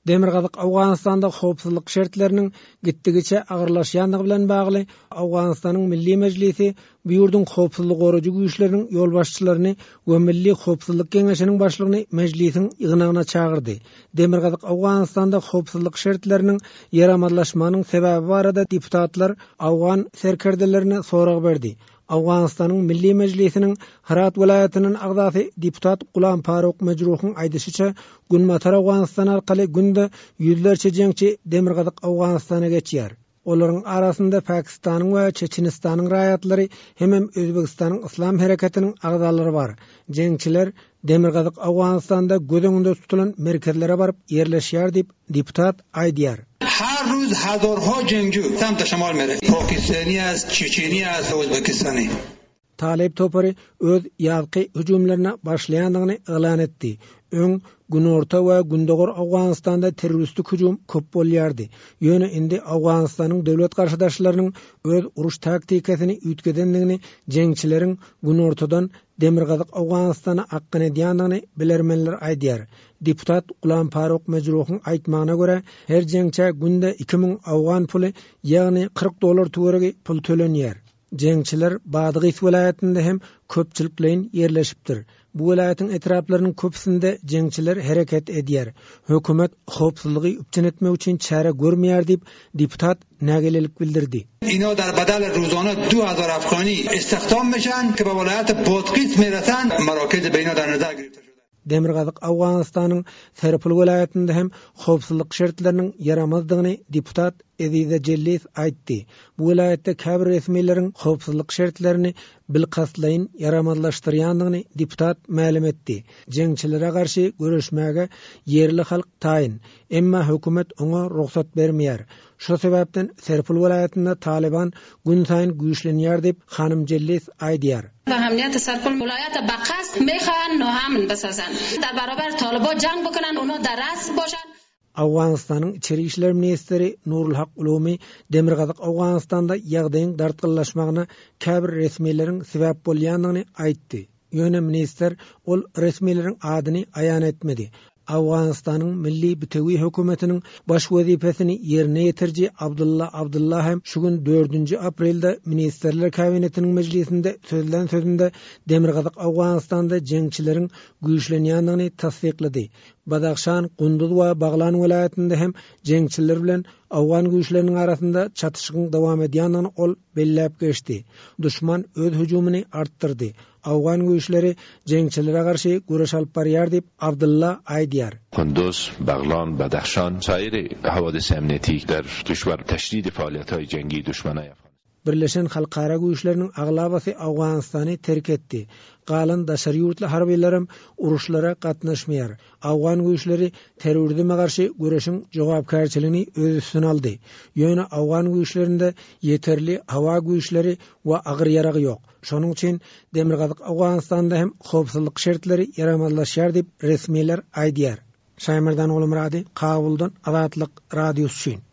Demirgazyk Owganystanda howpsuzlyk şertleriniň gitdigiçe agyrlaşýandygy bilen bagly Owganystanyň Milli Mejlisi bu ýurduň howpsuzlygy goraýjy güýçleriniň ýolbaşçylaryny we Milli howpsuzlyk geňeşiniň başlygyny mejlisiň ýygnagyna çagyrdy. Demirgazyk Owganystanda howpsuzlyk şertleriniň ýaramazlaşmagynyň sebäbi barada deputatlar owgan serkerdelerine sorag berdi. Owganystanyň Milli Mejlisiniň Hyrat welaýatyndan agzasy deputat Gulam Faruk Mejruhyň aýdyşyça, Günbatar Owganystan arkaly günde ýüzlerçe jeňçi Demirgazyk Owganystana geçýär. Olaryň arasynda Pakistanyň we Çeçenistanyň raýatlary hemem Özbegistanyň Yslam hereketiniň agzalary bar. Jeňçiler Demirgazyk Owganystanda göz öňünde tutulan merkezlere baryp ýerleşýär diýip, deputat aýdýar. Her ruz hazarha jengju samta şemal mere, Pakistani ast, Çeçeni ast, Özbekistani. Talyp topary öz ýazky hüjümlerine başlaýandygyny yglan etdi. Öň Günorta we Gündogar Owganystanda terroristik hüjüm köp bolýardy. Ýöne indi Owganystanyň döwlet garşydaşlarynyň öz uruş taktikasyny üýtgedendigini jeňçileriň günortadan Demirgazyk Owganystana akgyn edýändigini bilermenler aýdýar. Deputat Gulam Faruk Mejruhyň aýtmagyna görä, her jeňçä günde 2000 owgan puly, ýagny 40 dollar töweregi pul tölenýär. Jeňçiler Badgys welaýatynda hem köpçülikleýin ýerleşipdir. Bu welaýatyň etraplarynyň köpüsinde jeňçiler hereket edýär. Hökümet howpsuzlygy üpjün etmek üçin çäre görmeýär diýip, deputat nägilelik bildirdi. Ina dar badal ruzana 2000 afgani istihdam mishan ke ba vilayat Badghis mirasan marakez be ina dar nazar girifte shude. Demirgazyk Owganystanyň Serpil welaýatynda hem howpsuzlyk şertleriniň ýaramazdygyny deputat Ezize Jellis aýtdy. Bu welaýatda käbir resmileriň howpsuzlyk şertlerini bilkastlaýyn ýaramazlaşdyrýandygyny deputat mälim etdi. Jeňçilere garşy göreşmäge ýerli halk taýyn, emma hökümet oňa rugsat bermeýär. Şo sebäpden Serpil welaýatynda Talyban günsaýyn güýçlenýär diýip, hanym Jellis aýdýar. Ahamiyat Serpil vilayat baqast mixahan noamn bisazan dar barabar taliba jang bikunan uno dar ras boshan. Owganystanyň içeri işler ministri Nurulhak Ulumi Demirgazyk Owganystanda ýagdaýyň dartgynlaşmagyna käbir resmileriň sebäp bolýandygyny aýtdy. Ýöne ministr ol resmileriň adyny aýan etmedi. Owganystanyň Milli bitewi hökümetiniň baş wezipesini ýerine ýetiriji Abdylla Abdylla hem şu gün dördünji aprelde Ministrler Kabinetiniň mejlisinde sözlän sözünde Demirgazyk Owganystanda jeňçileriň güýçlenýändigini tassyklady. Badahşan, Gunduz we Baglan welaýatynda hem jeňçiler bilen owgan güýçleriniň arasynda çatyşygyň dowam edýändigini ol belläp geçdi. Duşman öz hüjümini artdyrdy. Owgan güýçleri jeňçilere garşy göreş alyp barýar diýip, Abdylla aýdýar. Kunduz, Baglan, Badahşan, sair hawadis emniyeti der kişwer teşdid faaliyethay cengi duşmenay Afganistan. Birleşen halkara güýçleriniň aglabasy Owganystany terk etdi. Galan daşary ýurtly harbylaram uruşlara gatnaşmaýar. Owgan güýçleri terrorizme garşy göreşiň jogapkärçiligini öz üstüne aldy. Ýöne owgan güýçlerinde ýeterli howa güýçleri we agyr ýarag ýok. Şonuň üçin Demirgazyk Owganystanda hem howpsuzlyk şertleri ýaramazlaşýar diýip, resmiler aýdýar. Şaýmerdan Gulmyrady, Kabuldan Azatlyk Radiosy üçin.